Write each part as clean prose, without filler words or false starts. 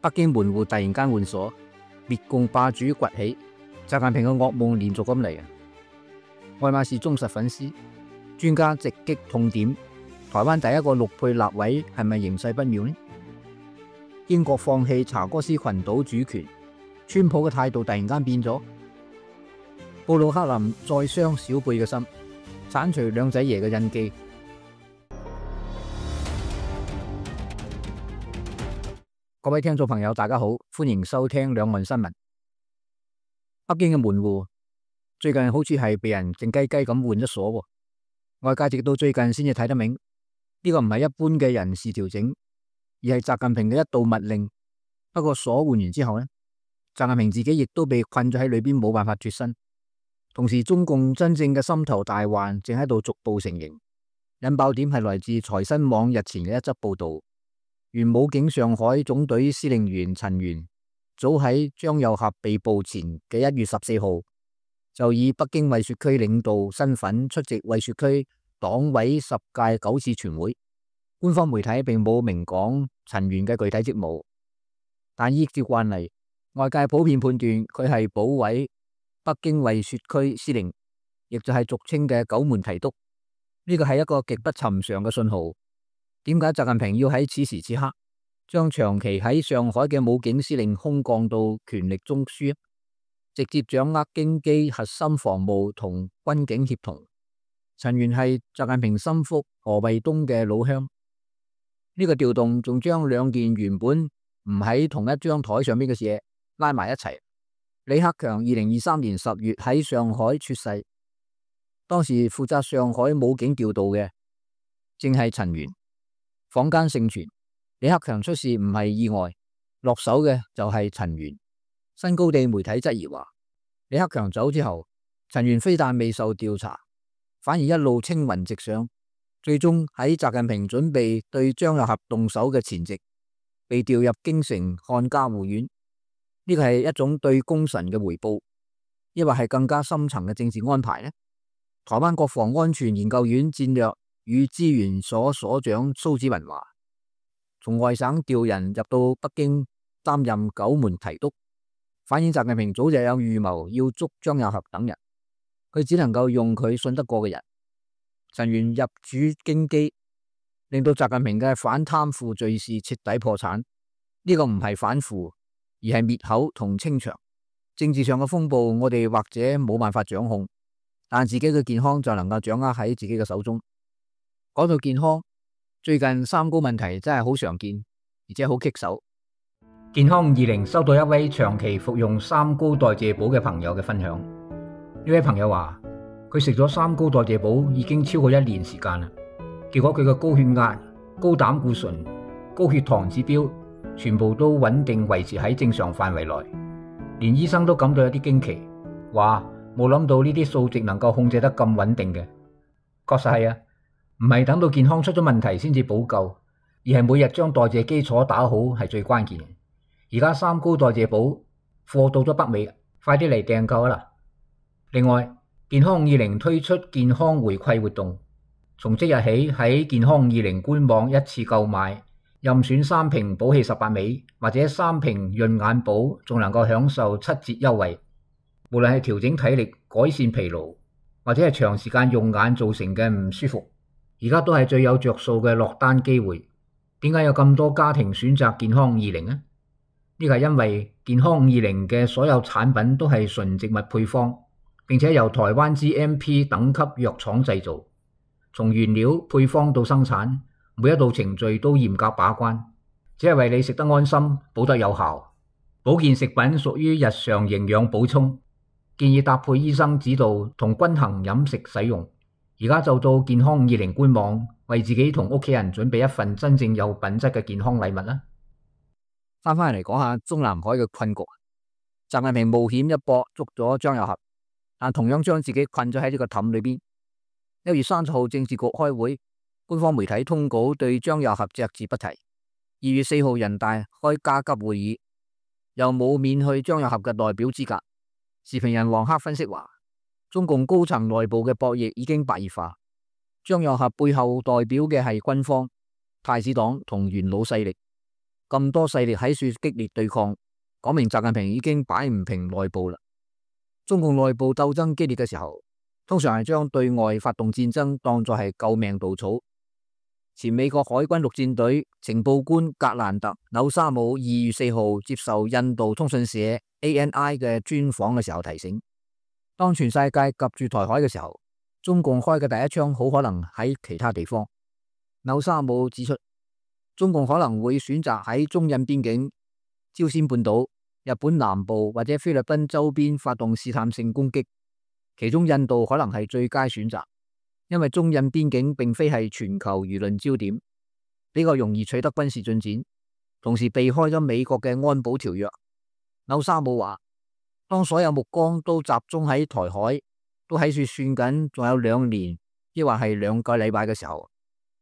北京門戶突然間換鎖，滅共霸主崛起，習近平嘅噩夢連續咁嚟啊！愛馬仕忠實粉絲，專家直擊痛點：台灣第一個陸配立委係咪形勢不妙呢？英國放棄查戈斯群島主權，川普嘅態度突然間變咗。布魯克林再傷小貝嘅心，剷除兩仔爺嘅印記。各位聽眾朋友，大家好，歡迎收聽兩岸新聞。北京嘅門戶最近好似係被人靜雞雞咁換咗鎖，外界直到最近先至睇得明，呢個唔係一般嘅人事調整，而係習近平嘅一道密令。不過鎖換完之後呢，習近平自己亦都被困咗喺裏邊，冇辦法脫身。同時，中共真正嘅心頭大患正喺度逐步成形。引爆點係來自財新網日前嘅一則報道。原武警上海總隊司令員陳元，早喺張又俠被捕前嘅1月14號，就以北京惠雪區領導身份出席惠雪區黨委10屆9次全會。官方媒體並冇明講陳元嘅具體職務，但依照慣例，外界普遍判斷佢係保委北京惠雪區司令，亦就係俗稱嘅九門提督。呢個係一個極不尋常嘅信號。點解習近平要喺此時此刻將長期喺上海嘅武警司令空降到權力中樞，直接掌握京畿核心防務同軍警協同？陳元係習近平心腹何衛東嘅老鄉。呢個調動仲將兩件原本唔喺同一張台上邊嘅嘢拉埋一齊。李克強2023年10月喺上海猝逝，當時負責上海武警調度嘅正係陳元。坊間盛傳李克強出事唔係意外，落手嘅就係陳元。新高地媒體質疑話，李克強走之後，陳元非但未受調查，反而一路青雲直上，最終喺習近平準備對張又俠動手嘅前夕，被調入京城看家護院。呢個係一種對功臣嘅回報，抑或係更加深層嘅政治安排呢？台灣國防安全研究院戰略與資源所所長蘇紫雲話，從外省調人入到北京擔任九門提督，反映習近平早就有預謀要捉張又俠等人，佢只能夠用佢信得過嘅人。陳元入主京畿，令到習近平嘅反貪腐罪事徹底破產。呢個唔係反腐，而係滅口同清場。政治上嘅風暴，我哋或者冇辦法掌控，但自己嘅健康就能夠掌握喺自己嘅手中。講到健康，最近三高問題真係好常見，而且好棘手。健康520收到一位長期服用三高代謝寶嘅朋友嘅分享。呢位朋友話，佢食咗三高代謝寶已經超過1年時間啦，結果佢嘅高血壓、高膽固醇、高血糖指標全部都穩定維持喺正常範圍內，連醫生都感到有啲驚奇，話冇諗到呢啲數值能夠控制得咁穩定嘅。確實係啊。唔係等到健康出咗問題先至補救，而係每日將代謝基礎打好係最關鍵嘅。而家三高代謝寶貨到咗北美，快啲嚟訂購啦！另外，健康520推出健康回饋活動，從即日起喺健康520官網一次購買，任選3瓶補氣18味或者3瓶潤眼寶，仲能夠享受7折優惠。無論係調整體力、改善疲勞，或者係長時間用眼造成嘅唔舒服，而家都係最有着數嘅落單機會。點解有咁多家庭選擇健康520呢？呢個係因為健康520嘅所有產品都係純植物配方，並且由台灣 GMP 等級藥廠製造，從原料配方到生產，每一道程序都嚴格把關，只係為你食得安心，補得有效。保健食品屬於日常營養補充，建議搭配醫生指導同均衡飲食使用。而家就到健康520官網，為自己同屋企人準備一份真正有品質嘅健康禮物啦。翻返嚟講下中南海嘅困局，習近平冒險一搏捉咗張又俠，但同樣將自己困咗喺呢個氹裏邊。1月30號政治局開會，官方媒體通稿對張又俠隻字不提。2月4號人大開加急會議，又冇免去張又俠嘅代表資格。時評人黃克分析話，中共高層內部嘅博弈已經白熱化，張又俠背後代表嘅係軍方、太子黨同元老勢力，咁多勢力喺處激烈對抗，講明習近平已經擺唔平內部啦。中共內部鬥爭激烈嘅時候，通常係將對外發動戰爭當作係救命稻草。前美國海軍陸戰隊情報官格蘭特紐沙姆2月4號接受印度通訊社 ANI 嘅專訪嘅時候提醒，當全世界夾住台海嘅時候，中共開嘅第一槍好可能喺其他地方。紐沙姆指出，中共可能會選擇喺中印邊境、朝鮮半島、日本南部或者菲律賓周邊發動試探性攻擊，其中印度可能係最佳選擇。因為中印邊境並非係全球輿論焦點，比較容易取得軍事進展，同時避開咗美國嘅安保條約。紐沙姆話，當所有目光都集中喺台海，都喺處算緊仲有2年，抑或係2個禮拜嘅時候，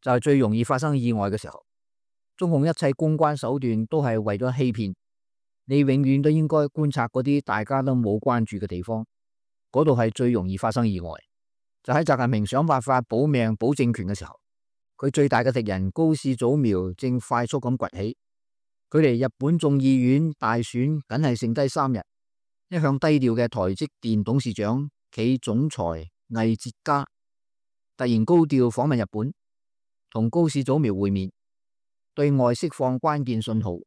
就係最容易發生意外嘅時候。中共一切公關手段都係為咗欺騙，你永遠都應該觀察嗰啲大家都冇關注嘅地方，嗰度係最容易發生意外。就喺習近平想辦法保命保政權嘅時候，佢最大嘅敵人高市早苗正快速咁崛起。距離日本眾議院大選僅係剩低3日，一向低調嘅台積電董事長暨總裁魏哲家突然高調訪問日本，同高市早苗會面，對外釋放關鍵信號，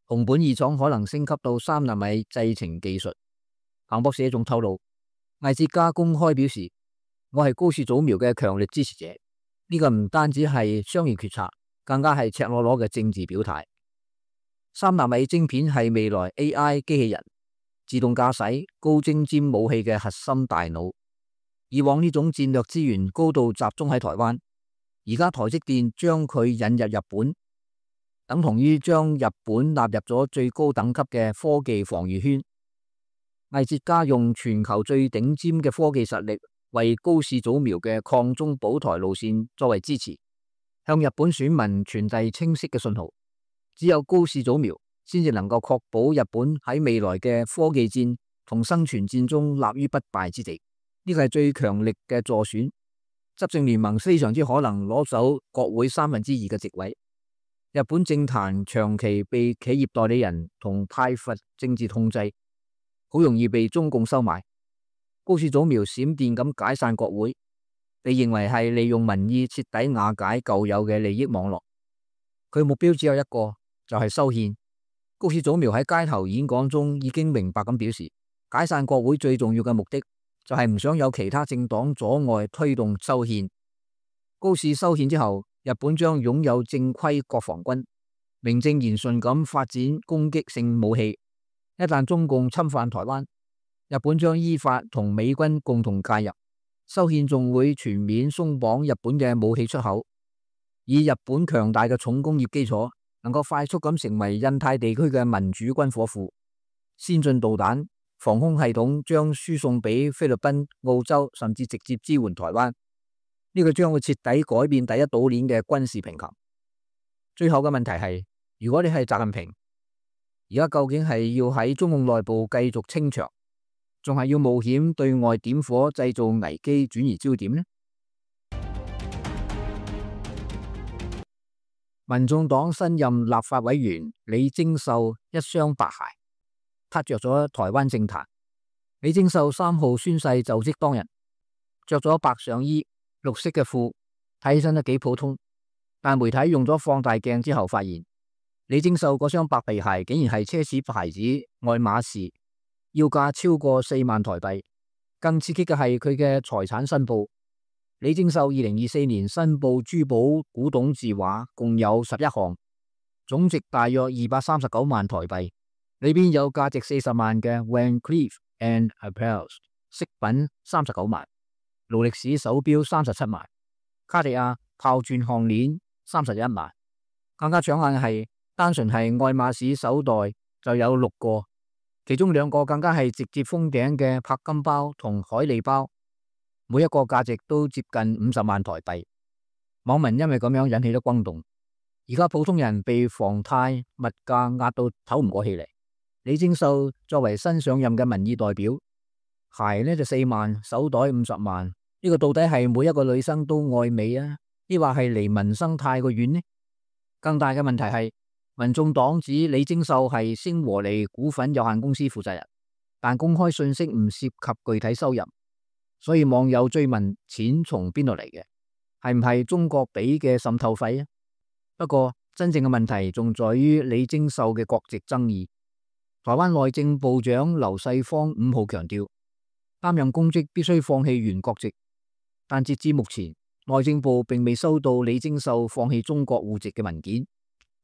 熊本二廠可能升級到3納米製程技術。彭博社仲透露，魏哲家公開表示，我係高市早苗嘅強力支持者，呢個唔單止係商業決策，更加係赤裸裸嘅政治表態。3納米晶片係未來 AI 機器人、自動駕駛、高精尖武器嘅核心大腦。以往呢種戰略資源高度集中喺台灣，而家台積電將佢引入日本，等同於將日本納入咗最高等級嘅科技防禦圈。魏哲家用全球最頂尖嘅科技實力，為高市早苗嘅抗中保台路線作為支持，向日本選民傳遞清晰嘅信號。只有高市早苗先至能夠確保日本喺未來嘅科技戰同生存戰中立於不敗之地。呢個係最強力嘅助選，執政聯盟非常之可能攞走國會2/3嘅席位。日本政壇長期被企業代理人同派閥政治控制，好容易被中共收買。高市早苗閃電咁解散國會，被認為係利用民意徹底瓦解舊有嘅利益網絡。佢目標只有一個，就係修憲。高市早苗喺街頭演講中已經明白咁表示，解散國會最重要嘅目的就係唔想有其他政黨阻礙推動修憲。高市修憲之後，日本將擁有正規國防軍，名正言順咁發展攻擊性武器。一旦中共侵犯台灣，日本將依法同美軍共同介入，修憲仲會全面鬆綁日本嘅武器出口，以日本強大嘅重工業基礎，能夠快速咁成為印太地區嘅民主軍火庫。先進導彈、防空系統將輸送俾菲律賓、澳洲，甚至直接支援台灣。呢個將會徹底改變第一島鏈嘅軍事平衡。最後嘅問題係，如果你係習近平，而家究竟係要喺中共內部繼續清場，仲係要冒險對外點火製造危機轉移焦點呢？民眾黨新任立法委員李貞秀一雙白鞋，撻着咗台灣政壇。李貞秀3號宣誓就職當日，着咗白上衣、綠色嘅褲，睇起身都幾普通。但媒體用咗放大鏡之後發現，李貞秀嗰雙白皮鞋竟然係奢侈牌子愛馬仕，要價超過4萬台幣。更刺激嘅係佢嘅財產申報。李貞秀2024年申報珠寶古董字畫共有11項，總值大約239萬台幣，裏邊有價值40萬嘅 Van Cleef & Arpels 飾品39萬，勞力士手錶37萬，卡地亞炮鑽項鏈31萬。更加搶眼嘅係，單純係愛馬仕手袋就有6個，其中2個更加係直接封頂嘅柏金包同海利包，每一個價值都接近50萬台幣。網民因為咁樣引起咗轟動，而家普通人被房貸物價壓到唞唔過氣嚟。李貞秀作為新上任嘅民意代表，鞋呢就4萬，手袋50萬，呢個到底係每一個女生都愛美啊，抑或係離民生太過遠呢？更大嘅問題係，民眾黨指李貞秀係星和利股份有限公司負責人，但公開信息唔涉及具體收入，所以網友追問錢從邊度嚟嘅，係唔係中國俾嘅滲透費啊？不過真正嘅問題仲在於李貞秀嘅國籍爭議。台灣內政部長劉世芳5號強調，擔任公職必須放棄原國籍，但截至目前，內政部並未收到李貞秀放棄中國戶籍嘅文件。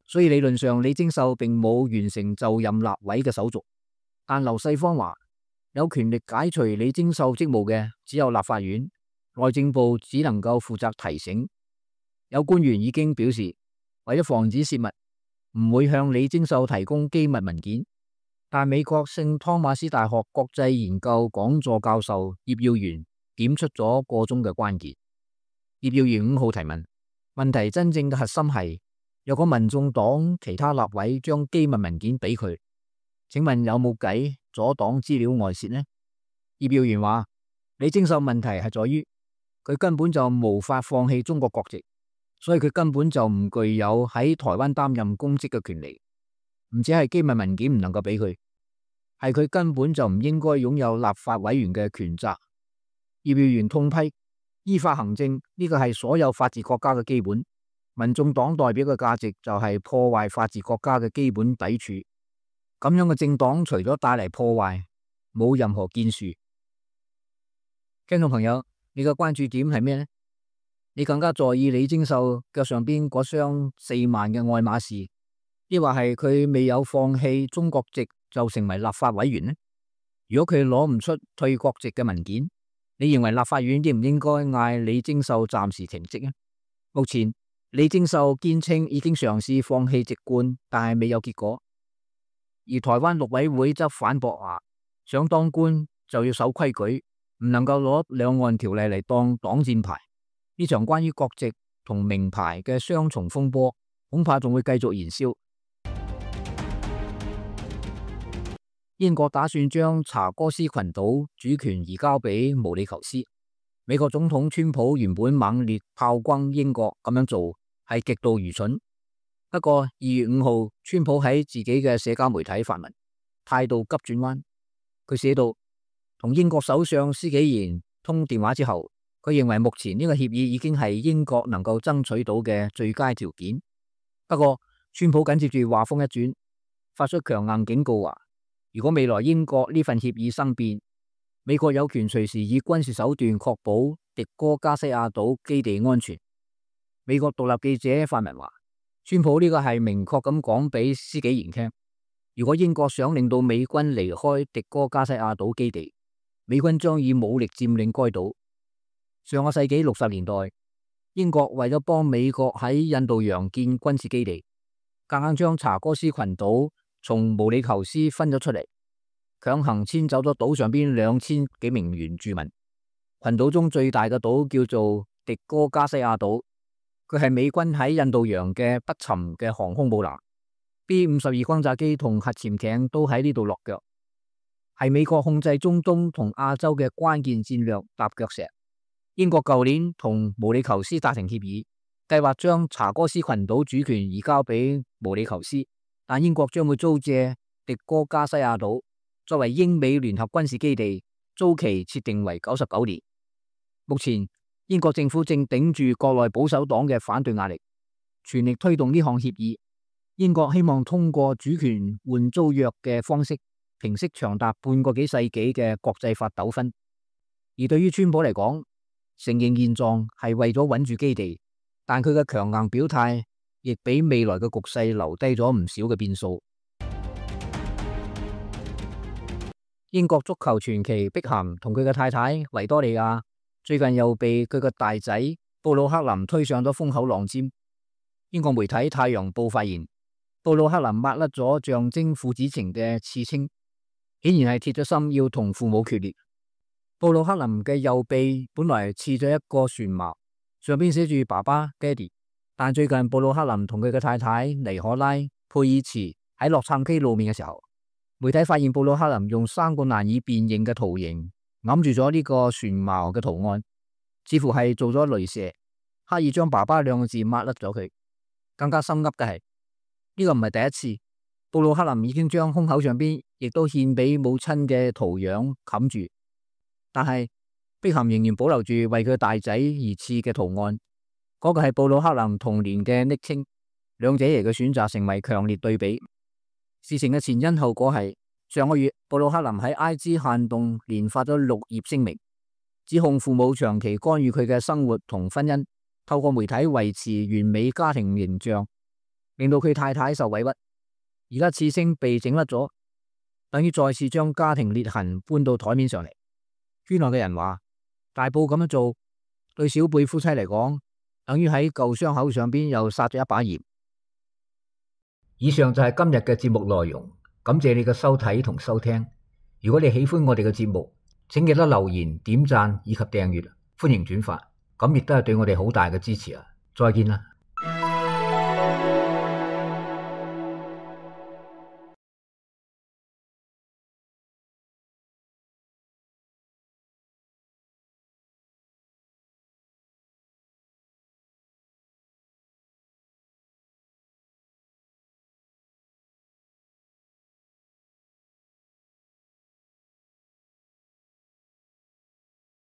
所以理論上李貞秀並冇完成就任立委嘅手續，但劉世芳話有權力解除李貞秀職務嘅只有立法院，內政部只能夠負責提醒。有官員已經表示，為咗防止泄密，唔會向李貞秀提供機密文件。但美國聖湯馬斯大學國際研究講座教授葉耀元點出咗個中嘅關鍵。葉耀元5號提問，問題真正嘅核心係，若果民眾黨其他立委將機密文件俾佢，請問有冇計阻擋資料外泄呢？葉耀元話，李貞秀問題係在於佢根本就無法放棄中國國籍，所以佢根本就唔具有喺台灣擔任公職嘅權利。唔止係機密文件唔能夠俾佢，係佢根本就唔應該擁有立法委員嘅權責。葉耀元痛批，依法行政呢個係所有法治國家嘅基本。民眾黨代表嘅價值就係破壞法治國家嘅基本底柱，咁樣嘅政黨除咗帶嚟破壞，冇任何建樹。聽眾朋友，你嘅關注點係咩呢？你更加在意李貞秀腳上邊嗰雙4萬嘅愛馬仕，抑或係佢未有放棄中國籍就成為立法委員呢？如果佢攞唔出退國籍嘅文件，你認為立法院應唔應該嗌李貞秀暫時停職呢？目前李貞秀堅稱已經嘗試放棄籍貫，但係未有結果。而台灣陸委會則反駁話，想當官就要守規矩，唔能夠攞兩岸條例嚟當擋箭牌。呢場關於國籍同名牌嘅雙重風波，恐怕仲會繼續燃燒。英國打算將查哥斯群島主權移交俾毛里求斯。美國總統川普原本猛烈炮轟英國咁樣做係極度愚蠢。不過2月5號，川普喺自己嘅社交媒體發文，態度急轉彎。佢寫道，同英國首相施紀賢通電話之後，佢認為目前呢個協議已經係英國能夠爭取到嘅最佳條件。不過川普緊接住話鋒一轉，發出強硬警告話，如果未來英國呢份協議生變，美國有權隨時以軍事手段確保迪哥加西亞島基地安全。美國獨立記者發文話，川普呢個係明確咁講俾施紀賢聽，如果英國想令到美軍離開迪哥加西亞島基地，美軍將以武力佔領該島。上個世紀60年代，英國為咗幫美國喺印度洋建軍事基地，夾硬將查哥斯群島從毛里求斯分咗出嚟，強行遷走咗島上邊2000幾名原住民。群島中最大嘅島叫做迪哥加西亞島，佢係美軍喺印度洋嘅不沉嘅航空母艦，B-52轟炸機同核潛艇都喺呢度落腳，係美國控制中東同亞洲嘅關鍵戰略踏腳石。英國舊年同毛里求斯達成協議，計劃將查哥斯群島主權移交俾毛里求斯，但英國將會租借迪哥加西亞島作為英美聯合軍事基地，租期設定為99年。目前英國政府正頂住國內保守黨嘅反對壓力，全力推動呢項協議。英國希望通過主權換租約嘅方式，平息長達半個幾世紀嘅國際法糾紛。而對於川普嚟講，承認現狀係為咗穩住基地，但佢嘅強硬表態亦俾未來嘅局勢留低咗唔少嘅變數。英國足球傳奇碧咸同佢嘅太太維多利亞最近又被佢個大仔布魯克林推上咗風口浪尖。英國媒體《太陽報》發現，布魯克林抹甩咗象徵父子情嘅刺青，顯然係鐵咗心要同父母決裂。布魯克林嘅右臂本來刺咗一個船矛，上邊寫住爸爸爹哋，但最近布魯克林同佢嘅太太尼可拉佩爾茨喺洛杉磯露面嘅時候，媒體發現布魯克林用3個難以辨認嘅圖形揞住咗呢個船矛嘅圖案，似乎係做咗鐳射，刻意將爸爸2個字抹甩咗佢。更加心噏嘅係呢個唔係第一次，布魯克林已經將胸口上邊亦都獻俾母親嘅圖樣冚住，但係碧咸仍然保留住為佢大仔而賜嘅圖案，嗰個係布魯克林童年嘅昵稱，兩者嘅選擇成為強烈對比。事情嘅前因後果係上個月，布魯克林喺 IG 限動連發咗6頁聲明，指控父母長期干預佢嘅生活同婚姻，透過媒體維持完美家庭形象，令到佢太太受委屈。而家刺青被整甩咗，等於再次將家庭裂痕搬到台面上嚟。圈內嘅人話，大埔咁樣做對小貝夫妻嚟講，等於喺舊傷口上邊又撒咗一把鹽。以上就係今日嘅節目內容，感謝你嘅收睇同收聽。如果你喜歡我哋嘅節目，請記得留言、點讚以及訂閱，歡迎轉發，咁亦都係對我哋好大嘅支持啊！再見啦。